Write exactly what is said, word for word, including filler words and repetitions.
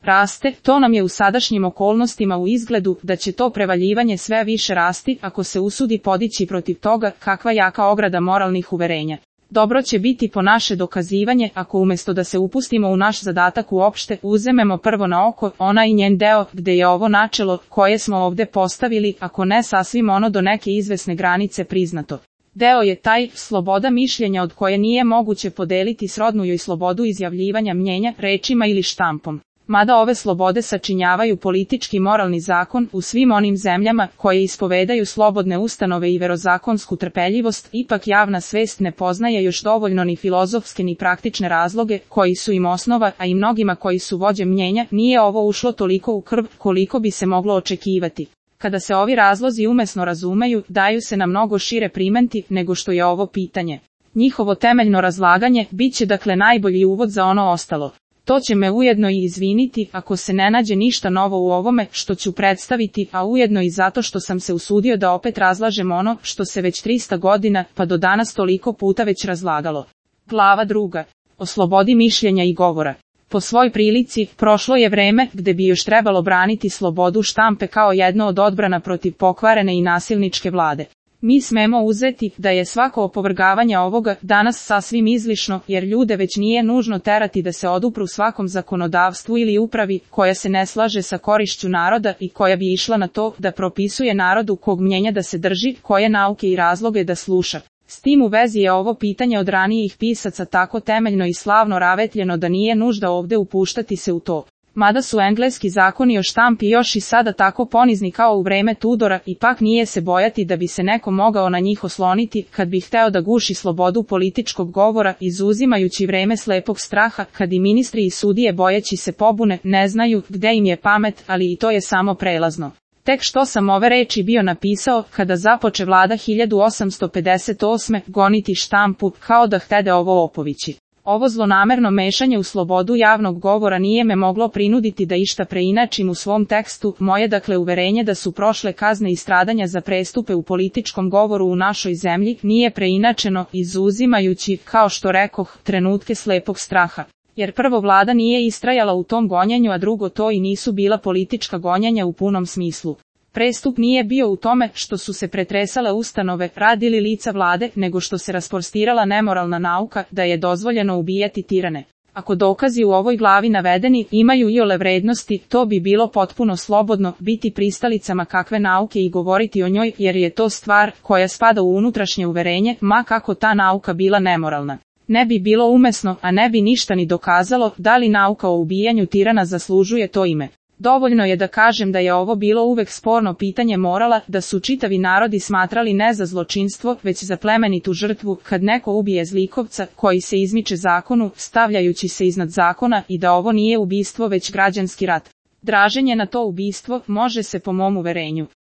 raste, to nam je u sadašnjim okolnostima u izgledu da će to prevaljivanje sve više rasti ako se usudi podići protiv toga kakva jaka ograda moralnih uverenja. Dobro će biti po naše dokazivanje ako umjesto da se upustimo u naš zadatak uopšte uzmemo prvo na oko ona i njen deo gde je ovo načelo koje smo ovde postavili, ako ne sasvim ono do neke izvesne granice priznato. Deo je taj sloboda mišljenja od koje nije moguće podeliti srodnu joj slobodu izjavljivanja mnjenja rečima ili štampom. Mada ove slobode sačinjavaju politički moralni zakon u svim onim zemljama koje ispovedaju slobodne ustanove i verozakonsku trpeljivost, ipak javna svest ne poznaje još dovoljno ni filozofske ni praktične razloge koji su im osnova, a i mnogima koji su vođe mnjenja nije ovo ušlo toliko u krv koliko bi se moglo očekivati. Kada se ovi razlozi umesno razumeju, daju se na mnogo šire primenti nego što je ovo pitanje. Njihovo temeljno razlaganje bit će dakle najbolji uvod za ono ostalo. To će me ujedno i izviniti ako se ne nađe ništa novo u ovome što ću predstaviti, a ujedno i zato što sam se usudio da opet razlažem ono što se već trista godina pa do danas toliko puta već razlagalo. Glava druga. O slobodi mišljenja i govora. Po svoj prilici, prošlo je vreme gde bi još trebalo braniti slobodu štampe kao jedno od odbrana protiv pokvarene i nasilničke vlade. Mi smemo uzeti da je svako opovrgavanje ovoga danas sasvim izlišno, jer ljude već nije nužno terati da se odupru svakom zakonodavstvu ili upravi koja se ne slaže sa korišću naroda i koja bi išla na to da propisuje narodu kog mnjenja da se drži, koje nauke i razloge da sluša. S tim u vezi je ovo pitanje od ranijih pisaca tako temeljno i slavno ravetljeno da nije nužda ovde upuštati se u to. Mada su engleski zakoni o štampi još i sada tako ponizni kao u vreme Tudora, ipak nije se bojati da bi se neko mogao na njih osloniti kad bi hteo da guši slobodu političkog govora, izuzimajući vreme slepog straha, kad i ministri i sudije bojeći se pobune, ne znaju gde im je pamet, ali i to je samo prelazno. Tek što sam ove reči bio napisao, kada započe vlada hiljadu osamsto pedeset osme goniti štampu, kao da htede ovo opovići. Ovo zlonamerno mešanje u slobodu javnog govora nije me moglo prinuditi da išta preinačim u svom tekstu, moje dakle uverenje da su prošle kazne i stradanja za prestupe u političkom govoru u našoj zemlji nije preinačeno, izuzimajući, kao što rekoh, trenutke slepog straha. Jer prvo vlada nije istrajala u tom gonjenju, a drugo to i nisu bila politička gonjenja u punom smislu. Prestup nije bio u tome što su se pretresale ustanove, rad ili lica vlade, nego što se rasprostirala nemoralna nauka da je dozvoljeno ubijati tirane. Ako dokazi u ovoj glavi navedeni imaju iole vrednosti, to bi bilo potpuno slobodno biti pristalicama kakve nauke i govoriti o njoj, jer je to stvar koja spada u unutrašnje uverenje, ma kako ta nauka bila nemoralna. Ne bi bilo umesno, a ne bi ništa ni dokazalo, da li nauka o ubijanju tirana zaslužuje to ime. Dovoljno je da kažem da je ovo bilo uvek sporno pitanje morala, da su čitavi narodi smatrali ne za zločinstvo, već za plemenitu žrtvu, kad neko ubije zlikovca koji se izmiče zakonu, stavljajući se iznad zakona, i da ovo nije ubistvo već građanski rat. Draženje na to ubistvo može se po mom uverenju